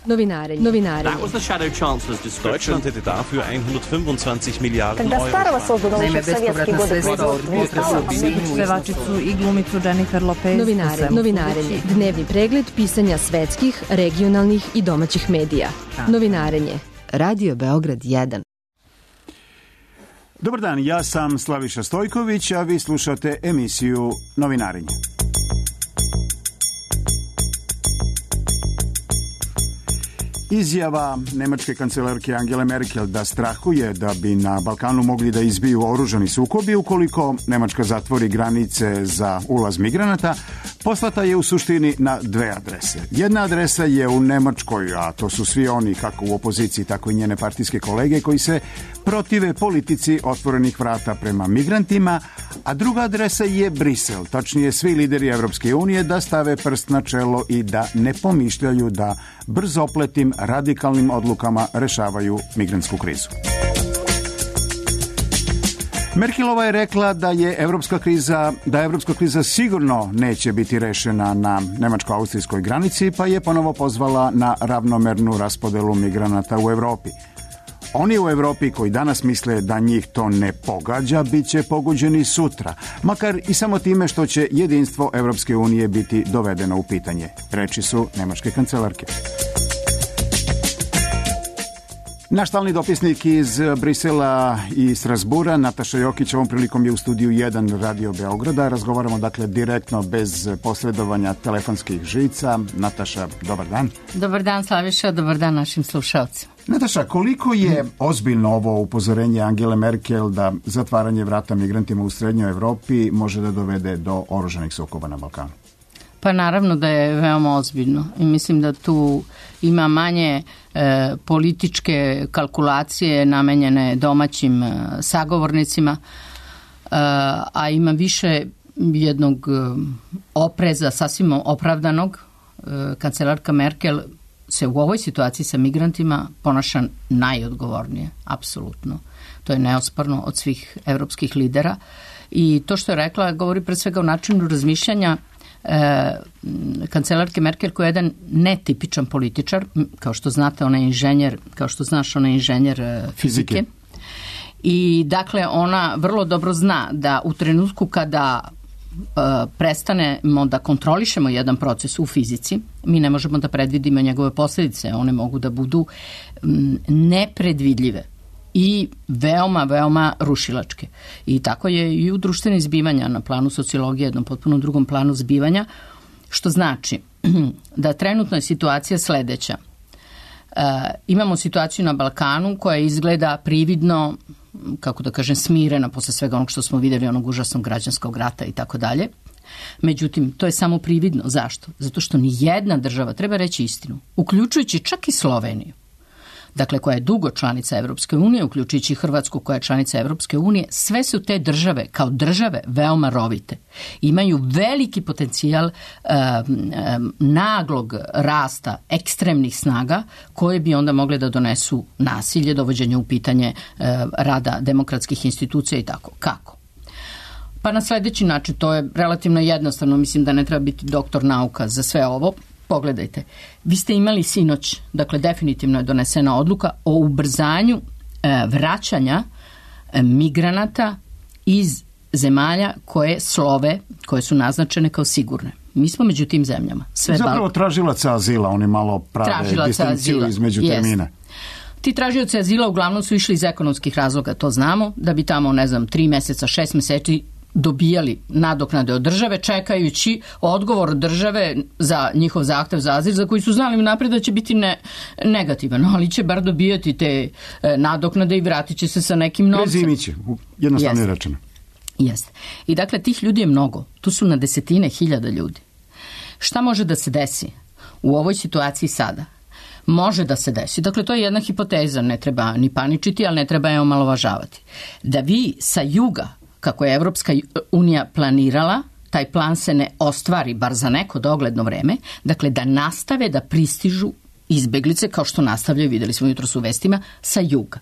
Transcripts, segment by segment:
Novinarenje. That was the Shadow Chancellor's description. Deutschland hätte dafür 125 Miliarden Когда Euro. старого создано еще в советские годы Pevačicu i glumicu Jennifer Lopez. Novinarenje. Dnevni pregled pisanja svetskih, regionalnih i domaćih medija. Novinarenje. Radio Beograd 1. Dobar dan, ja sam Slaviša Stojković, a vi slušate emisiju Novinarenje. Izjava nemačke kancelarke Angele Merkel da strahuje da bi na Balkanu mogli da izbiju oružani sukobi ukoliko Nemačka zatvori granice za ulaz migranata, poslata je u suštini na dve adrese. Jedna adresa je u Nemačkoj, a to su svi oni kako u opoziciji, tako i njene partijske kolege koji se protive politici otvorenih vrata prema migrantima, a druga adresa je Brisel, tačnije svi lideri Evropske unije da stave prst na čelo i da ne pomišljaju da brzopletim radikalnim odlukama rešavaju migrantsku krizu. Merkelova je rekla da evropska kriza sigurno neće biti rešena na nemačko-austrijskoj granici, pa je ponovo pozvala na ravnomernu raspodelu migranata u Evropi. Oni u Evropi koji danas misle da njih to ne pogađa, bit će pogođeni sutra, makar i samo time što će jedinstvo Evropske unije biti dovedeno u pitanje. Reči su nemačke kancelarke. Naš stalni dopisnik iz Brisela i Strasbura, Nataša Jokić, ovom prilikom je u studiju 1 Radio Beograda. Razgovaramo dakle direktno bez posredovanja telefonskih žica. Nataša, dobar dan. Dobar dan, Slaviša, dobar dan našim slušalcima. Nataša, koliko je ozbiljno ovo upozorenje Angele Merkel da zatvaranje vrata migrantima u srednjoj Evropi može da dovede do oružanih sukoba na Balkanu? Pa naravno da je veoma ozbiljno i mislim da tu ima manje političke kalkulacije namenjene domaćim sagovornicima, a ima više jednog opreza sasvim opravdanog. Kancelarka Merkel se u ovoj situaciji sa migrantima ponaša najodgovornije, apsolutno. To je neosporno od svih evropskih lidera i to što je rekla govori pre svega o načinu razmišljanja kancelarke Merkel, koja je jedan netipičan političar, kao što znate, ona je inženjer, kao što znaš, ona je inženjer fizike. I dakle, ona vrlo dobro zna da u trenutku kada prestanemo da kontrolišemo jedan proces u fizici, mi ne možemo da predvidimo njegove posljedice, one mogu da budu nepredvidljive i veoma, veoma rušilačke. I tako je i u društvenim zbivanja na planu sociologije, jednom potpuno drugom planu zbivanja, što znači da trenutno je situacija sledeća. Imamo situaciju na Balkanu koja izgleda prividno, kako da kažem, smirena posle svega onog što smo videli, onog užasnog građanskog rata i tako dalje. Međutim, to je samo prividno. Zašto? Zato što ni jedna država, treba reći istinu, uključujući čak i Sloveniju, dakle koja je dugo članica Evropske unije, uključujući Hrvatsku koja je članica Evropske unije, sve su te države kao države veoma rovite. Imaju veliki potencijal naglog rasta ekstremnih snaga koje bi onda mogle da donesu nasilje, dovođenje u pitanje rada demokratskih institucija i tako. Kako? Pa na sledeći način, to je relativno jednostavno, mislim da ne treba biti doktor nauka za sve ovo. Pogledajte, vi ste imali sinoć, dakle definitivno je donesena odluka o ubrzanju vraćanja migranata iz zemalja koje slove, koje su naznačene kao sigurne. Mi smo među tim zemljama. Zapravo tražilaca azila, oni malo prave distinkciju između termina. Ti tražioci azila uglavnom su išli iz ekonomskih razloga, to znamo, da bi tamo, 3 meseca, 6 meseci dobijali nadoknade od države, čekajući odgovor države za njihov zahtev za azil, za koji su znali unapred da će biti negativan, ali će bar dobijati te nadoknade i vratit će se sa nekim novcem. Prezimiće, jednostavno je rečeno. Jeste. I dakle, tih ljudi je mnogo. Tu su na desetine hiljada ljudi. Šta može da se desi u ovoj situaciji sada? Može da se desi. Dakle, to je jedna hipoteza, ne treba ni paničiti, ali ne treba je omalovažavati. Da vi sa juga, kako je Evropska unija planirala, taj plan se ne ostvari, bar za neko dogledno vreme, dakle da nastave da pristižu izbeglice, kao što nastavljaju, videli smo jutros u vestima, sa juga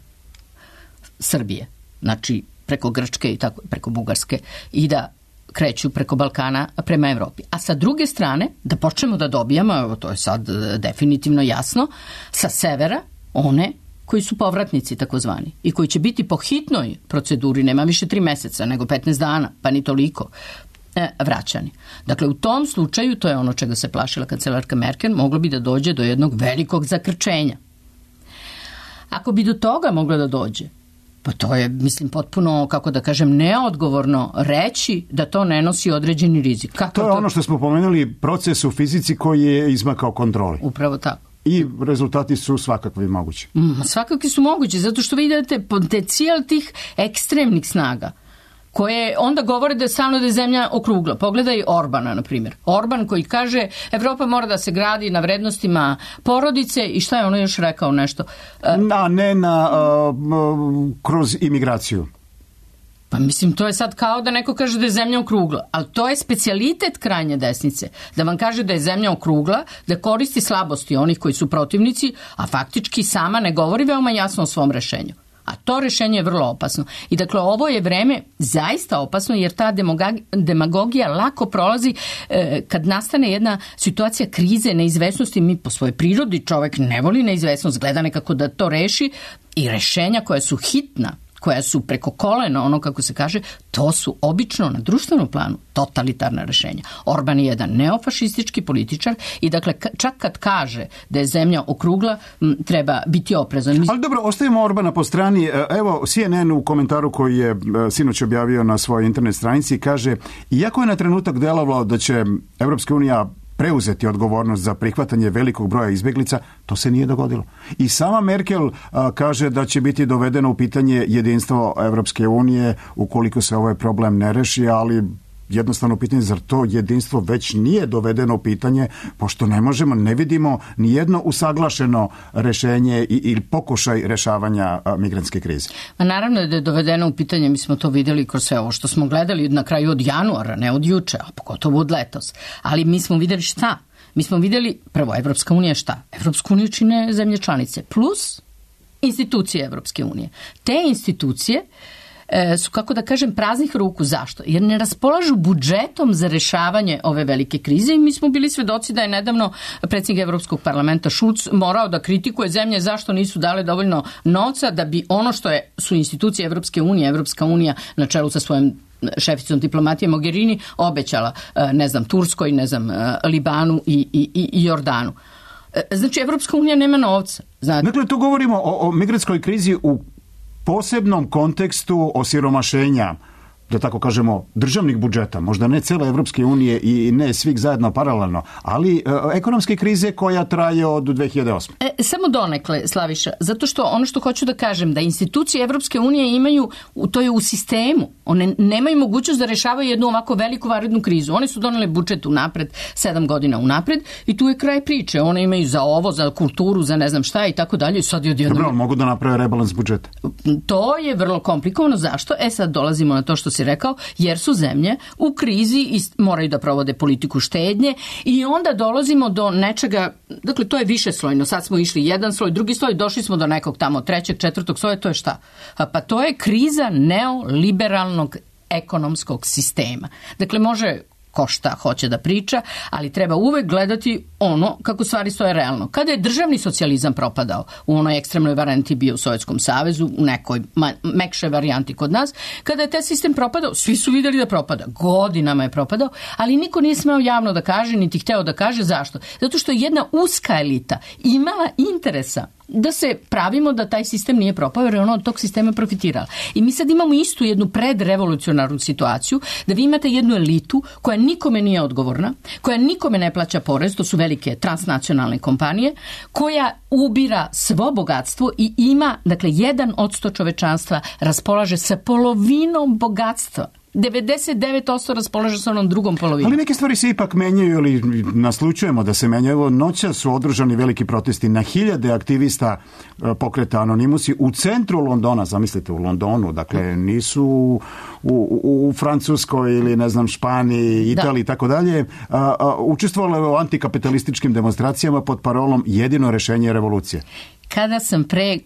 Srbije, znači preko Grčke i tako, preko Bugarske, i da kreću preko Balkana prema Evropi. A sa druge strane, da počnemo da dobijamo, evo to je sad definitivno jasno, sa severa one koji su povratnici takozvani i koji će biti po hitnoj proceduri, nema više 3 meseca, nego 15 dana, pa ni toliko, vraćani. Dakle, u tom slučaju, to je ono čega se plašila kancelarka Merkel, moglo bi da dođe do jednog velikog zakrčenja. Ako bi do toga moglo da dođe, pa to je, mislim, potpuno, kako da kažem, neodgovorno reći da to ne nosi određeni rizik. To je ono što smo pomenuli, proces u fizici koji je izmakao kontroli. Upravo tako. I rezultati su svakakvi mogući. Svakakvi su mogući, zato što vidite potencijal tih ekstremnih snaga koje onda govore da je stalno da je zemlja okrugla. Pogledaj Orbana, na primjer. Orban koji kaže Evropa mora da se gradi na vrednostima porodice i šta je ono još rekao nešto? A ne kroz imigraciju. Pa mislim, to je sad kao da neko kaže da je zemlja okrugla, ali to je specijalitet krajnje desnice, da vam kaže da je zemlja okrugla, da koristi slabosti onih koji su protivnici, a faktički sama ne govori veoma jasno o svom rešenju. A to rešenje je vrlo opasno. I dakle, ovo je vreme zaista opasno, jer ta demagogija lako prolazi kad nastane jedna situacija krize, neizvesnosti. Mi po svojoj prirodi, čovek ne voli neizvesnost, gleda nekako da to reši, i rešenja koja su hitna, koja su preko kolena, ono kako se kaže, to su obično na društvenom planu totalitarna rešenja. Orban je jedan neofašistički političar i dakle čak kad kaže da je zemlja okrugla, treba biti oprezan. Ali dobro, ostavimo Orbana po strani. Evo, CNN u komentaru koji je sinoć objavio na svojoj internet stranici kaže, iako je na trenutak delovalo da će Evropska unija preuzeti odgovornost za prihvatanje velikog broja izbjeglica, to se nije dogodilo. I sama Merkel kaže da će biti dovedeno u pitanje jedinstvo Evropske unije ukoliko se ovaj problem ne reši, ali jednostavno pitanje, zar to jedinstvo već nije dovedeno u pitanje, pošto ne vidimo ni jedno usaglašeno rešenje ili pokušaj rešavanja migrantske krize. A naravno da je dovedeno u pitanje, mi smo to vidjeli kroz sve ovo što smo gledali na kraju od januara, ne od juče, a pogotovo od letos. Ali mi smo vidjeli šta? Mi smo vidjeli, prvo, Evropska unija šta? Evropsku uniju čine zemlje članice, plus institucije Evropske unije. Te institucije su, kako da kažem, praznih ruku. Zašto? Jer ne raspolažu budžetom za rešavanje ove velike krize i mi smo bili svedoci da je nedavno predsjednik Evropskog parlamenta Schulz morao da kritikuje zemlje zašto nisu dale dovoljno novca da bi ono što su institucije Evropske unije, Evropska unija na čelu sa svojim šeficom diplomatije Mogherini obećala, Turskoj, Libanu i Jordanu. Znači, Evropska unija nema novca. Dakle, tu govorimo o migrantskoj krizi u posebnom kontekstu osiromašenja, da tako kažemo, državnih budžeta, možda ne cele Evropske unije i ne svih zajedno paralelno, ali ekonomske krize koja traje od 2008. Samo donekle, Slaviša, zato što ono što hoću da kažem, da institucije Evropske unije imaju, to je u sistemu, one nemaju mogućnost da rešavaju jednu ovako veliku vanrednu krizu. Oni su doneli budžet unapred, 7 godina unapred i tu je kraj priče. One imaju za ovo, za kulturu, za ne znam šta i tako dalje. Dobro, mogu da naprave rebalans budžeta. To je vrlo komplikovano. Zašto? Sad dolazimo na to što si rekao, jer su zemlje u krizi i moraju da provode politiku štednje i onda dolazimo do nečega, dakle to je višeslojno, sad smo išli jedan sloj, drugi sloj, došli smo do nekog tamo 3., 4. sloja, to je šta? Pa to je kriza neoliberalnog ekonomskog sistema. Dakle, može ko šta hoće da priča, ali treba uvek gledati ono kako stvari stoje realno. Kada je državni socijalizam propadao, u onoj ekstremnoj varijanti bio u Sovjetskom savezu, u nekoj mekšoj varijanti kod nas, kada je taj sistem propadao, svi su vidjeli da propada. Godinama je propadao, ali niko nije smeo javno da kaže, niti hteo da kaže. Zašto? Zato što je jedna uska elita imala interesa da se pravimo da taj sistem nije propao, jer je ono od tog sistema profitirala. I mi sad imamo istu jednu predrevolucionarnu situaciju, da vi imate jednu elitu koja nikome nije odgovorna, koja nikome ne plaća porez, to su velike transnacionalne kompanije, koja ubira svo bogatstvo i ima, dakle, 1% čovečanstva raspolaže sa polovinom bogatstva. 99% raspolaže sa onom drugom polovinom. Ali neke stvari se ipak menjaju ili naslučujemo da se menjaju. Evo, noćas su održani veliki protesti na hiljade aktivista pokreta Anonimusi u centru Londona, zamislite, u Londonu, dakle nisu u Francuskoj ili ne znam Španiji, Italiji i tako dalje. Učestvovali u antikapitalističkim demonstracijama pod parolom jedino rešenje je revolucija. Kada sam pre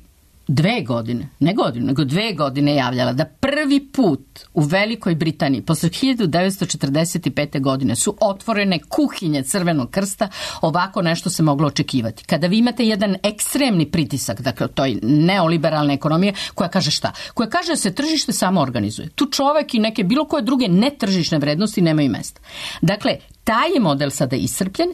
2 godine, ne godinu, nego 2 godine javljala da prvi put u Velikoj Britaniji posle 1945. godine su otvorene kuhinje Crvenog krsta, ovako nešto se moglo očekivati. Kada vi imate jedan ekstremni pritisak, dakle toj neoliberalne ekonomije, koja kaže šta? Koja kaže da se tržište samo organizuje. Tu čovek i neke bilo koje druge netržišne vrednosti nemaju mesta. Dakle, taj je model sada iscrpljen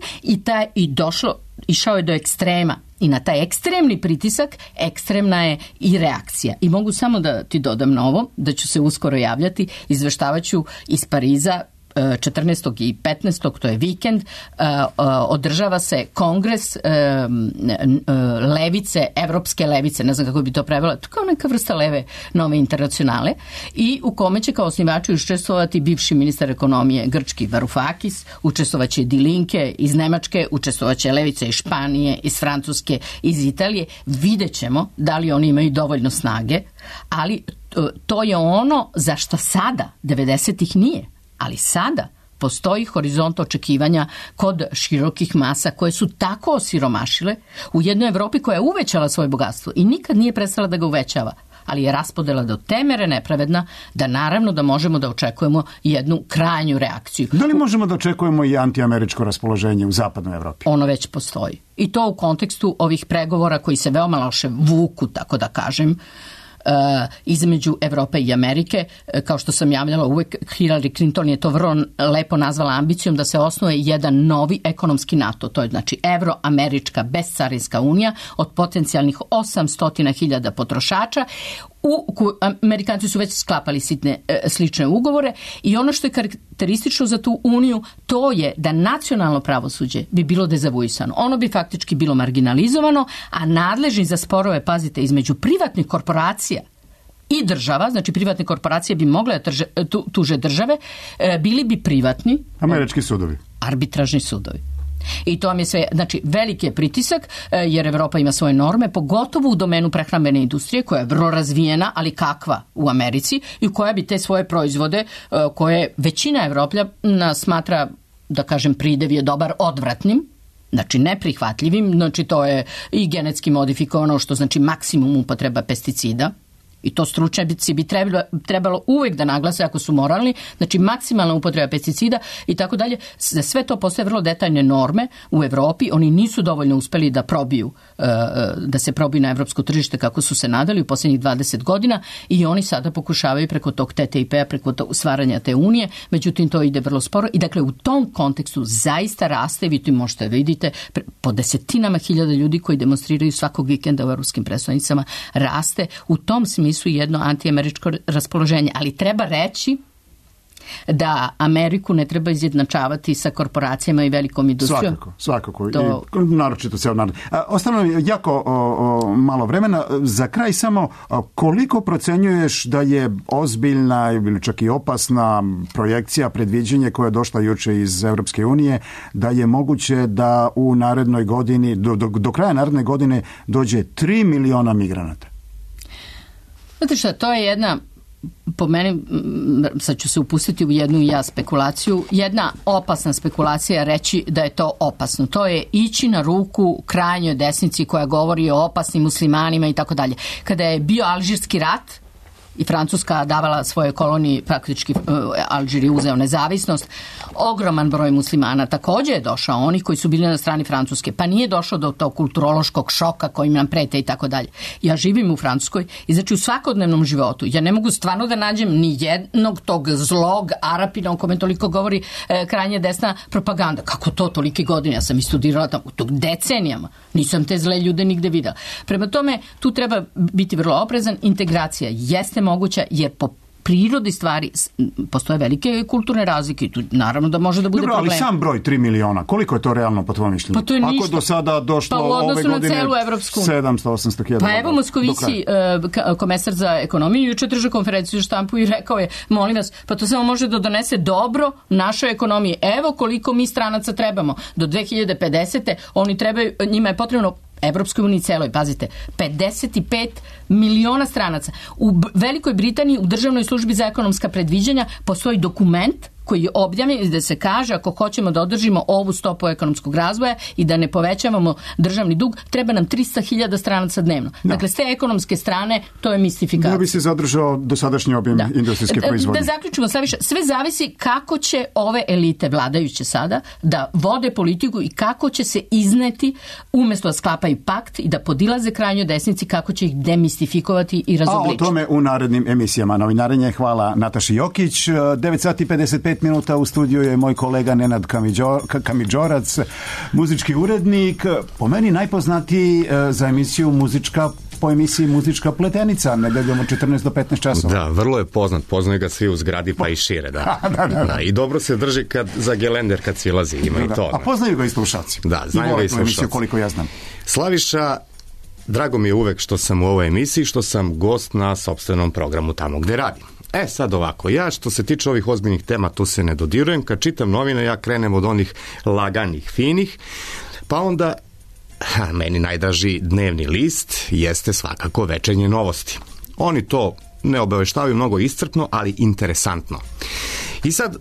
išao je do ekstrema. I na taj ekstremni pritisak ekstremna je i reakcija. I mogu samo da ti dodam na ovo, da ću se uskoro javljati, izveštavaću iz Pariza 14. i 15. to je vikend, održava se kongres levice, evropske levice, ne znam kako bi to prevela, to kao neka vrsta leve nove internacionale, i u kome će kao osnivači učestvovati bivši ministar ekonomije grčki Varoufakis, učestvovaće Die Linke iz Nemačke, učestvovaće levice iz Španije, iz Francuske, iz Italije. Vidjet ćemo da li oni imaju dovoljno snage, ali to je ono za što sada, 90-ih nije. Ali sada postoji horizont očekivanja kod širokih masa koje su tako osiromašile u jednoj Evropi koja je uvećala svoje bogatstvo i nikad nije prestala da ga uvećava, ali je raspodela do te mere nepravedna da naravno da možemo da očekujemo jednu krajnju reakciju. Da li možemo da očekujemo i antiameričko raspoloženje u zapadnoj Evropi? Ono već postoji. I to u kontekstu ovih pregovora koji se veoma loše vuku, tako da kažem, između Evrope i Amerike. Kao što sam javljala uvek, Hillary Clinton je to vrlo lepo nazvala ambicijom da se osnuje jedan novi ekonomski NATO. To je znači Evroamerička bescarinska unija od potencijalnih 800.000 potrošača. Amerikanci su već sklapali slične ugovore i ono što je karakteristično za tu uniju, to je da nacionalno pravosuđe bi bilo dezavuisano. Ono bi faktički bilo marginalizovano, a nadležni za sporove, pazite, između privatnih korporacija i država, znači privatne korporacije bi mogle tuže države, bili bi privatni američki sudovi, arbitražni sudovi. I to vam je sve, znači veliki je pritisak jer Evropa ima svoje norme, pogotovo u domenu prehrambene industrije koja je vrlo razvijena, ali kakva u Americi i koja bi te svoje proizvode koje većina Evropljana smatra, da kažem, pridev je dobar, odvratnim, znači neprihvatljivim, znači to je i genetski modifikovano, što znači maksimum upotreba pesticida. I to stručnjaci bi trebalo uvek da naglase ako su moralni, znači maksimalna upotreba pesticida i tako dalje. Za sve to postoje vrlo detaljne norme u Evropi. Oni nisu dovoljno uspeli da se probiju na evropsko tržište kako su se nadali u posljednjih 20 godina i oni sada pokušavaju preko tog TTIP-a, preko stvaranja te unije, međutim to ide vrlo sporo i dakle u tom kontekstu zaista raste, vi tu možete vidite, po desetinama hiljada ljudi koji demonstriraju svakog vikenda u evropskim predstavnicama, raste u tom smislu jedno antiameričko raspoloženje, ali treba reći da Ameriku ne treba izjednačavati sa korporacijama i velikom industrijom. Svakako. I naročito ceo narod. Ostalo jako malo vremena. Za kraj samo, koliko procenjuješ da je ozbiljna ili čak i opasna projekcija, predviđenje koje je došla juče iz Europske unije, da je moguće da u narednoj godini, do kraja naredne godine dođe 3 miliona migranata? Znate šta, to je jedna, po meni, sad ću se upustiti u jednu spekulaciju, jedna opasna spekulacija reći da je to opasno. To je ići na ruku krajnjoj desnici koja govori o opasnim muslimanima i tako dalje. Kada je bio Alžirski rat i Francuska davala svoje koloniji, praktički Alžir je uzeo nezavisnost, ogroman broj muslimana također je došao, oni koji su bili na strani Francuske, pa nije došlo do tog kulturološkog šoka kojim nam prete i tako dalje. Ja živim u Francuskoj i znači u svakodnevnom životu ja ne mogu stvarno da nađem ni jednog tog zlog Arapina o kome toliko govori krajnje desna propaganda. Kako to tolike godine? Ja sam i studirala tamo tog decenijama. Nisam te zle ljude nigde videla. Prema tome, tu treba biti vrlo oprezan. Integracija jeste moguća jer po prirodi stvari postoje velike kulturne razlike i tu naravno da može da bude problem. Ali sam broj 3 miliona, koliko je to realno po tvojom mišljenju? Pa to je ništa. Ako do sada došlo ove godine 700-800 Pa evo Moskovici, komesar za ekonomiju, juče držao konferenciju štampu i rekao je, molim vas, pa to samo može da donese dobro našoj ekonomiji. Evo koliko mi stranaca trebamo. Do 2050. oni trebaju, njima je potrebno Evropskoj uniji celoj, pazite, 55 miliona stranaca. U Velikoj Britaniji u Državnoj službi za ekonomska predviđanja postoji dokument koji je objavljen i da se kaže ako hoćemo da održimo ovu stopu ekonomskog razvoja i da ne povećavamo državni dug, treba nam 300.000 stranaca dnevno. Dakle, s te ekonomske strane to je mistifikacija. Da bi se zadržao dosadašnji objem industrijske proizvodnje. Da zaključimo sve više. Sve zavisi kako će ove elite vladajuće sada da vode politiku i kako će se izneti umjesto da sklapaju pakt i da podilaze krajnjoj desnici, kako će ih demistifikovati i razobličiti. A o tome u narednim emisijama Novinarenje. Hvala Nataši Jokić. 9 sati 55 minuta u studiju je moj kolega Nenad Kamidžorac, muzički urednik, po meni najpoznatiji za emisiju po emisiji Muzička pletenica, nedeljom od 14 do 15 časova. Da, vrlo je poznaju ga svi u zgradi pa i šire. Da. I dobro se drži za gelender kad silazi, ima i to. A poznaju ga i slušalci. Da, znaju ga i slušalci. Koliko ja znam. Slaviša, drago mi je uvek što sam u ovoj emisiji, što sam gost na sopstvenom programu tamo gde radim. Sad ovako, ja što se tiče ovih ozbiljnih tema, tu se ne dodirujem. Kad čitam novine, ja krenem od onih laganih, finih, pa onda meni najdraži dnevni list jeste svakako Večernje novosti. Oni to ne obaveštavaju mnogo iscrpno, ali interesantno. I sad,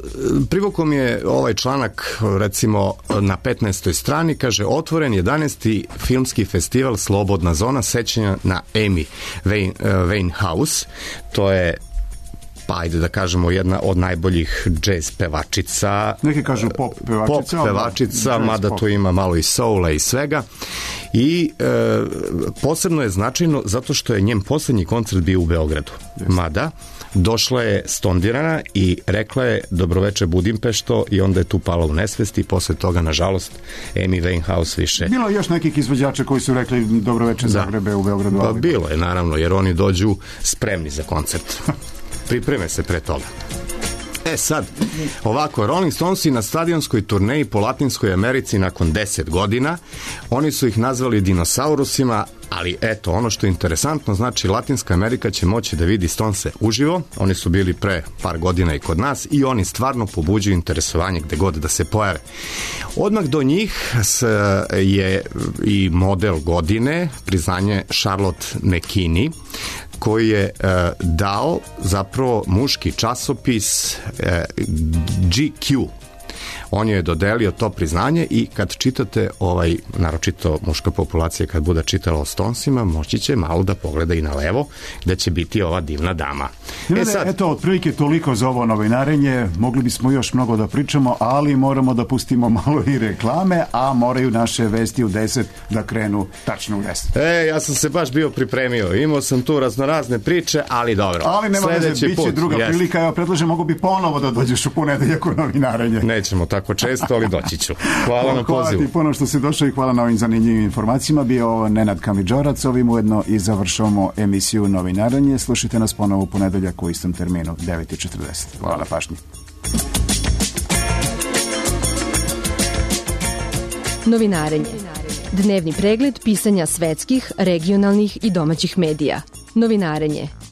privukao mi je ovaj članak, recimo na 15. strani, kaže otvoren 11. filmski festival Slobodna zona sećanja na Amy Winehouse. To je, pa ajde da kažemo, jedna od najboljih jazz pevačica. Neki kažu pop pevačica, mada tu ima malo i soula i svega. I posebno je značajno zato što je njen posljednji koncert bio u Beogradu. Mada došla je stondirana i rekla je dobroveče Budimpešto i onda je tu pala u nesvest i posle toga, nažalost, Amy Winehouse više... Bilo je još nekih izvođača koji su rekli dobroveče Zagrebe u Beogradu. Pa bilo je, naravno, jer oni dođu spremni za koncert. Pripreme se pre toga. Sad, ovako, Rolling Stonesi na stadionskoj turneji po Latinskoj Americi nakon 10 godina, oni su ih nazvali dinosaurusima, ali eto, ono što je interesantno, znači Latinska Amerika će moći da vidi Stonese uživo, oni su bili pre par godina i kod nas i oni stvarno pobuđuju interesovanje gde god da se pojave. Odmah do njih je i model godine, priznanje Charlotte McKinney, koji je dao zapravo muški časopis GQ. On je dodelio to priznanje i kad čitate naročito muška populacija kad bude čitala o Stonesima, moći će malo da pogleda i na levo gde će biti ova divna dama. Eto, otprilike toliko za ovo novinarenje. Mogli bismo još mnogo da pričamo, ali moramo da pustimo malo i reklame, a moraju naše vesti u 10 da krenu tačno u 10. Ja sam se baš bio pripremio. Imao sam tu raznorazne priče, ali dobro. Ali nema da se biće druga prilika. Evo, predlažem, mogu bi ponovo da dođeš u ponedeljak u novinarenje. Nećemo tako često, ali doći ću. Hvala na pozivu. Hvala ti puno što si došao i hvala na ovim zanimljivim informacijama. Bio Nenad Kamidžorac, ovim ujedno i završavamo emisiju Novinarenje. Slušajte nas ponovo u ponedeljak u istom terminu, 9:40. Hvala na pažnji. Novinarenje. Dnevni pregled pisanja svetskih, regionalnih i domaćih medija. Novinarenje.